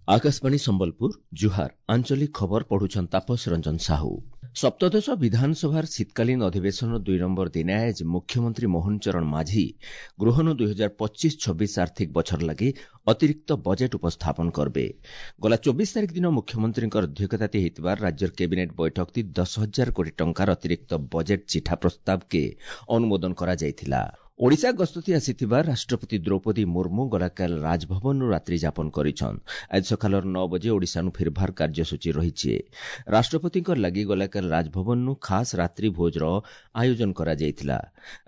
Akashvani Sambalpur ଜୁହାର, ଆଞ୍ଚଳିକ ଖବର ପଢୁଛନ୍ ତାପସ ରଞ୍ଜନ ସାହୁ। ସପ୍ତଦଶ ବିଧାନସଭାର ଶୀତକାଳୀନ ଅଧିବେଶନ 2 ନମ୍ବର ଦିନେ ଆଏଜ ମୁଖ୍ୟମନ୍ତ୍ରୀ ମୋହନ ଚରଣ ମାଝୀ ଗୃହନ 2025-26 ଆର୍ଥିକ ବଛର ଲାଗି ଅତିରିକ୍ତ ବଜେଟ୍ ଉପସ୍ଥାପନ କରବେ। ଗଲା 24 ତାରିଖ ଦିନ ମୁଖ୍ୟମନ୍ତ୍ରୀଙ୍କର ଅଧ୍ୟକ୍ଷତାତି ହେଇଥିବାର ରାଜ୍ୟର କ୍ୟାବିନେଟ୍ ବୈଠକତି 10,000 କୋଟି ଟଙ୍କାର ଅତିରିକ୍ତ ବଜେଟ୍ ଚିଠା ପ୍ରସ୍ତାବକେ ଅନୁମୋଦନ କରାଯାଇଥିଲା। ଓଡ଼ିଶା ଗସ୍ତତି ଆସିଥିବା ରାଷ୍ଟ୍ରପତି ଦ୍ରୌପଦୀ ମୁର୍ମୁ ଗଲାକାଲ ରାଜଭବନରୁ ରାତ୍ରି ଯାପନ କରିଛନ୍। ଆଜି ସକାଳର 9 ବଜେ ଓଡ଼ିଶାନୁ ଫିରଭାର କାର୍ଯ୍ୟସୂଚୀ ରହିଛି। ରାଷ୍ଟ୍ରପତିଙ୍କ ଲାଗି ଗଲାକାଲ ରାଜଭବନରୁ ଖାସ୍ ରାତ୍ରି ଭୋଜର ଆୟୋଜନ କରାଯାଇଥିଲା।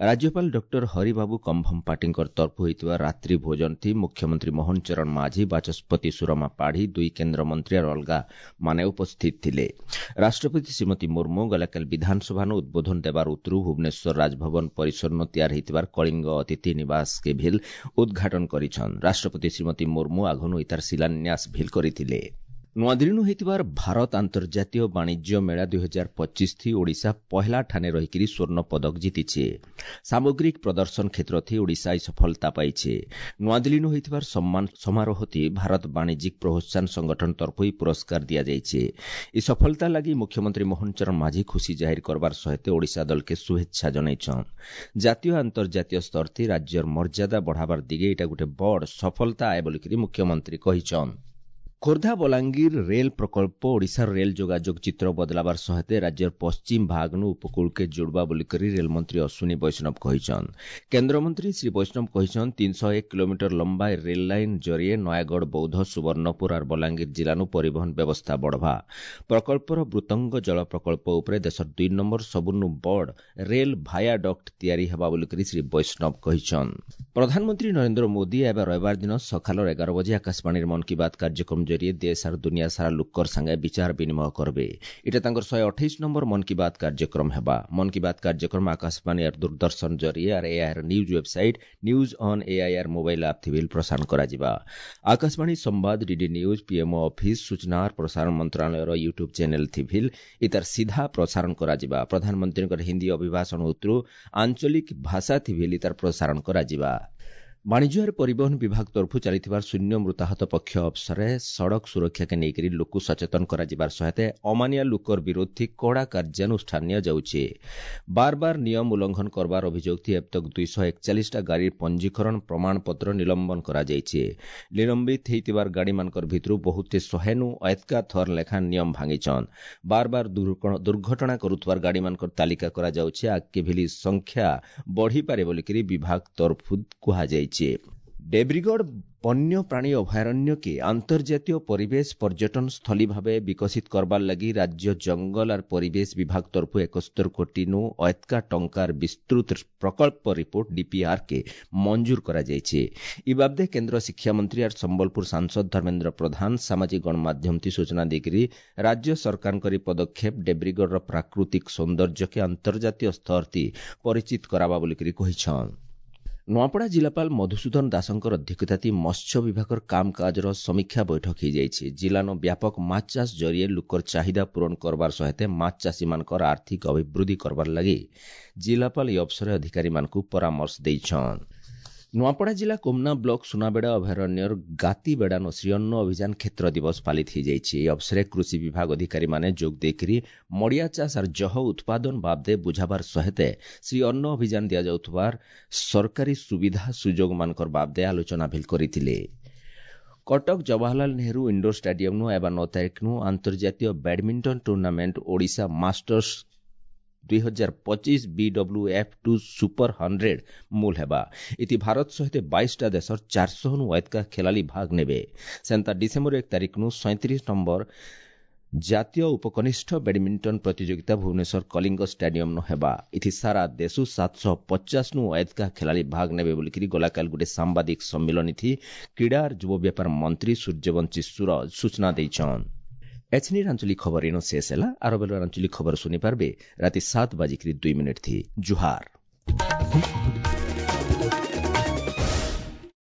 ରାଜ୍ୟପାଳ ଡକ୍ଟର ହରିବାବୁ କମ୍ଭମପାଟିଙ୍କର ତରଫୁ ହୋଇଥିବା ରାତ୍ରି ଭୋଜନଥି ମୁଖ୍ୟମନ୍ତ୍ରୀ ମୋହନ ଚରଣ ମାଝୀ, ବାଚସ୍ପତି ସୁରମା ପାଢ଼ୀ, ଦୁଇ କେନ୍ଦ୍ରମନ୍ତ୍ରୀ ଆର ଅଲଗା ମାନେ ଉପସ୍ଥିତ ଥିଲେ। ରାଷ୍ଟ୍ରପତି ଶ୍ରୀମତୀ ମୁର୍ମୁ ଗଲାକାଲି ବିଧାନସଭାନୁ ଉଦ୍ବୋଧନ ଦେବାର ଉତ୍ତରୁ ଭୁବନେଶ୍ୱର ରାଜଭବନ ପରିସରନୁ ତିଆରି ହେଇଥିବାର କଳିଙ୍ଗ ଅତିଥି ନିବାସ କେ ଭିଲ୍ ଉଦ୍ଘାଟନ କରିଛନ୍। ରାଷ୍ଟ୍ରପତି ଶ୍ରୀମତୀ ମୁର୍ମୁ ଆଘନୁ ଇତାର ଶିଳାନ୍ୟାସ ଭିଲ୍ କରିଥିଲେ। ନୂଆଦିଲ୍ଲୀନୁ ହେଇଥିବାର ଭାରତ ଆନ୍ତର୍ଜାତୀୟ ବାଣିଜ୍ୟ ମେଳା 2025 ଥି ଓଡ଼ିଶା ପହେଲା ଠାନେ ରହିକିରି ସ୍ୱର୍ଣ୍ଣ ପଦକ ଜିତିଛେ। ସାମଗ୍ରିକ ପ୍ରଦର୍ଶନ କ୍ଷେତ୍ରଥି ଓଡ଼ିଶା ଏହି ସଫଳତା ପାଇଛେ। ନୂଆଦିଲ୍ଲୀନୁ ହେଇଥିବାର ସମ୍ମାନ ସମାରୋହଥି ଭାରତ ବାଣିଜ୍ୟିକ ପ୍ରୋତ୍ସାହନ ସଂଗଠନ ତରଫରୁ ଏହି ପୁରସ୍କାର ଦିଆଯାଇଛି। ଏହି ସଫଳତା ଲାଗି ମୁଖ୍ୟମନ୍ତ୍ରୀ ମୋହନ ଚରଣ ମାଝୀ ଖୁସି ଜାହିର କରବାର ସହିତ ଓଡ଼ିଶା ଦଳକେ ଶୁଭେଚ୍ଛା ଜଣାଇଛନ୍। ଜାତୀୟ ଆନ୍ତର୍ଜାତୀୟ ସ୍ତରଥି ରାଜ୍ୟର ମର୍ଯ୍ୟାଦା ବଢ଼ାବାର ଦିଗେ ଏଇଟା ଗୋଟେ ବଡ଼ ସଫଳତା ଆଏ ବୋଲିକିରି ମୁଖ୍ୟମନ୍ତ୍ରୀ କହିଛନ୍। ଖୋର୍ଦ୍ଧା ବଲାଙ୍ଗୀର ରେଲ୍ ପ୍ରକଳ୍ପ ଓଡ଼ିଶାର ରେଲ୍ ଯୋଗାଯୋଗ ଚିତ୍ର ବଦଲାବାର ସହିତ ରାଜ୍ୟର ପଶ୍ଚିମ ଭାଗନୁ ଉପକୂଳକେ ଯୋଡ଼ବା ବୋଲିକରି ରେଲମନ୍ତ୍ରୀ ଅଶ୍ୱିନୀ ବୈଷ୍ଣବ କହିଛନ୍। କେନ୍ଦ୍ରମନ୍ତ୍ରୀ ଶ୍ରୀ ବୈଷ୍ଣବ କହିଛନ୍, 301 କିଲୋମିଟର ଲମ୍ବା ରେଲ୍ ଲାଇନ୍ ଜରିଏ ନୟାଗଡ଼, ବୌଦ୍ଧ, ସୁବର୍ଣ୍ଣପୁର ଆର୍ ବଲାଙ୍ଗୀର ଜିଲ୍ଲାନୁ ପରିବହନ ବ୍ୟବସ୍ଥା ବଢ଼ବା। ପ୍ରକଳ୍ପର ବୃତ୍ତଙ୍ଗ ଜଳ ପ୍ରକଳ୍ପ ଉପରେ ଦେଶର 2 ନମ୍ବର ସବୁନୁ ବଡ଼ ରେଲ୍ ଭାୟାଡକ୍ଟ ତିଆରି ହେବା ବୋଲିକରି ଶ୍ରୀ ବୈଷ୍ଣବ କହିଛନ୍। ପ୍ରଧାନମନ୍ତ୍ରୀ ନରେନ୍ଦ୍ର ମୋଦି ଏବେ ରବିବାର ଦିନ ସକାଳର 11 ବଜେ ଆକାଶବାଣୀର ମନ୍ କି ବାତ୍ କାର୍ଯ୍ୟକ୍ରମ ଜରିଏ ଦେଶ ଆର ଦୁନିଆ ସାରା ଲୋକର ସାଙ୍ଗେ ବିଚାର ବିନିମୟ କରବେ। ଏଟା ତାଙ୍କର 128 ନମ୍ବର ମନ୍ କି ବାତ୍ କାର୍ଯ୍ୟକ୍ରମ ହେବା। ମନ୍ କି ବାତ୍ କାର୍ଯ୍ୟକ୍ରମ ଆକାଶବାଣୀ ଆର ଦୂରଦର୍ଶନ ଜରିଏ ଆର AIR news website, news on AIR mobile app ଥିବିଲ ପ୍ରସାରଣ କରାଯିବା। ଆକାଶବାଣୀ ସମ୍ବାଦ, ଡିଡି ନ୍ୟୁଜ୍, ପିଏମ୍ଓ ଅଫିସ୍, ସୂଚନା ଆର ପ୍ରସାରଣ ମନ୍ତ୍ରଣାଳୟର ୟୁଟ୍ୟୁବ୍ ଚ୍ୟାନେଲ୍ ଥିଭିଲ ଇତାର ସିଧା ପ୍ରସାରଣ କରାଯିବା। ପ୍ରଧାନମନ୍ତ୍ରୀଙ୍କର ହିନ୍ଦୀ ଅଭିଭାଷଣ ଉତ୍ତରୁ ଆଞ୍ଚଳିକ ଭାଷା ଥିଭିଲ ଇତାର ପ୍ରସାରଣ କରାଯିବା। ବାଣିଜ୍ୟ ଆର ପରିବହନ ବିଭାଗ ତରଫରୁ ଚାଲିଥିବାର ଶୂନ୍ୟ ମୃତାହତ ପକ୍ଷ ଅବସରରେ ସଡ଼କ ସୁରକ୍ଷାକେ ନେଇକରି ଲୋକକୁ ସଚେତନ କରାଯିବାର ସହିତ ଅମାନିଆ ଲୋକର ବିରୋଧୀ କଡ଼ା କାର୍ଯ୍ୟାନୁଷ୍ଠାନ ନିଆଯାଉଛି। ବାର ବାର ନିୟମ ଉଲ୍ଲଂଘନ କରବାର ଅଭିଯୋଗ ଥି ଏବେ ତକ 241ଟା ଗାଡ଼ିର ପଞ୍ଜୀକରଣ ପ୍ରମାଣପତ୍ର ନିଲମ୍ବନ କରାଯାଇଛି। ନିଲମ୍ବିତ ହେଇଥିବାର ଗାଡ଼ିମାନଙ୍କର ଭିତରୁ ବହୁତ 100ନୁ ଏତକା ଥର ଲେଖା ନିୟମ ଭାଙ୍ଗିଛନ୍। ବାର ବାର ଦୁର୍ଘଟଣା କରୁଥିବାର ଗାଡ଼ିମାନଙ୍କର ତାଲିକା କରାଯାଉଛି। ଆଗକେ ଭଳି ସଂଖ୍ୟା ବଢ଼ିପାରେ ବୋଲିକରି ବିଭାଗ ତରଫରୁ କୁହାଯାଇଛି। ଡେବ୍ରିଗଡ଼ ବନ୍ୟ ପ୍ରାଣୀ ଅଭୟାରଣ୍ୟକେ ଆନ୍ତର୍ଜାତୀୟ ପରିବେଶ ପର୍ଯ୍ୟଟନ ସ୍ଥଳୀ ଭାବେ ବିକଶିତ କରବାର ଲାଗି ରାଜ୍ୟ ଜଙ୍ଗଲ ଆର ପରିବେଶ ବିଭାଗ ତରଫରୁ 71 କୋଟିନୁ ଏତକା ଟଙ୍କାର ବିସ୍ତୃତ ପ୍ରକଳ୍ପ ରିପୋର୍ଟ ଡିପିଆର୍ କେ ମଞ୍ଜୁର କରାଯାଇଛି। ଇ ବାବଦେ କେନ୍ଦ୍ର ଶିକ୍ଷାମନ୍ତ୍ରୀ ଆର ସମ୍ବଲପୁର ସାଂସଦ ଧର୍ମେନ୍ଦ୍ର ପ୍ରଧାନ ସାମାଜିକ ଗଣମାଧ୍ୟମଥି ସୂଚନା ଦେଇକରି ରାଜ୍ୟ ସରକାରଙ୍କର ଏହି ପଦକ୍ଷେପ ଡେବ୍ରିଗଡ଼ର ପ୍ରାକୃତିକ ସୌନ୍ଦର୍ଯ୍ୟକେ ଆନ୍ତର୍ଜାତୀୟ ସ୍ତରଥି ପରିଚିତ କରାବା ବୋଲିକରି କହିଛନ୍। ନୂଆପଡ଼ା ଜିଲ୍ଲାପାଳ ମଧୁସୂଦନ ଦାସଙ୍କର ଅଧ୍ୟକ୍ଷତାତି ମତ୍ସ୍ୟ ବିଭାଗର କାମକାଜର ସମୀକ୍ଷା ବୈଠକ ହୋଇଯାଇଛି। ଜିଲ୍ଲାନ ବ୍ୟାପକ ମାଛ ଚାଷ ଜରିଏ ଲୋକର ଚାହିଦା ପୂରଣ କରବାର ସହିତ ମାଛ ଚାଷୀମାନଙ୍କର ଆର୍ଥିକ ଅଭିବୃଦ୍ଧି କରବାର ଲାଗି ଜିଲ୍ଲାପାଳ ଏହି ଅବସରରେ ଅଧିକାରୀମାନଙ୍କୁ ପରାମର୍ଶ ଦେଇଛନ୍। ନୂଆପଡ଼ା ଜିଲ୍ଲା କୋମନା ବ୍ଲକ ସୁନାବେଡ଼ା ଅଭୟାରଣ୍ୟର ଗାତିବେଡ଼ାନ ଶ୍ରୀଅନ୍ନ ଅଭିଯାନ କ୍ଷେତ୍ର ଦିବସ ପାଳିତ ହୋଇଯାଇଛି। ଏହି ଅବସରରେ କୃଷି ବିଭାଗ ଅଧିକାରୀମାନେ ଯୋଗ ଦେଇକରି ମଡ଼ିଆ ଚାଷ ଆର ଜହ ଉତ୍ପାଦନ ବାବଦେ ବୁଝାବାର ସହିତ ଶ୍ରୀ ଅନ୍ନ ଅଭିଯାନ ଦିଆଯାଉଥିବାର ସରକାରୀ ସୁବିଧା ସୁଯୋଗମାନଙ୍କର ବାବଦେ ଆଲୋଚନା ଭିଲ କରିଥିଲେ। କଟକ ଜବାହରଲାଲ ନେହେରୁ ଇଣ୍ଡୋର ଷ୍ଟାଡିୟମନୁ ଏବା 9 ତାରିଖନୁ ଆନ୍ତର୍ଜାତୀୟ badminton tournament Odisha Masters 2025 BWF2 super 100 ମୂଲ ହେବା। ଇତି ଭାରତ ସହିତ 22ଟା ଦେଶର 400ନୁ ଏତକା ଖେଳାଳି ଭାଗ ନେବେ। ସେନ୍ତା ଡିସେମ୍ବର 1 ତାରିଖନୁ 37 ନମ୍ବର ଜାତୀୟ ଉପକନିଷ୍ଠ ବ୍ୟାଡମିଣ୍ଟନ ପ୍ରତିଯୋଗିତା ଭୁବନେଶ୍ୱର କଳିଙ୍ଗ ଷ୍ଟାଡିୟମନୁ ହେବା। ଇଥି ସାରା ଦେଶୁ 750ନୁ ଏତକା ଖେଳାଳି ଭାଗ ନେବେ ବୋଲିକିରି ଗଲାକାଲି ଗୋଟେ ସାମ୍ବାଦିକ ସମ୍ମିଳନୀ କ୍ରୀଡ଼ା ଯୁବ ବ୍ୟାପାର ମନ୍ତ୍ରୀ ସୂର୍ଯ୍ୟବଂଶୀ ସୁରଜ ସୂଚନା ଦେଇଛନ୍। ଏଛନିର ଆଞ୍ଚଳିକ ଖବର ଏଣୁ ଶେଷ ହେଲା। ଆର ବେଲର ଆଞ୍ଚଳିକ ଖବର ଶୁଣିପାରିବେ ରାତି 7:02 ଥି। ଜୁହାର।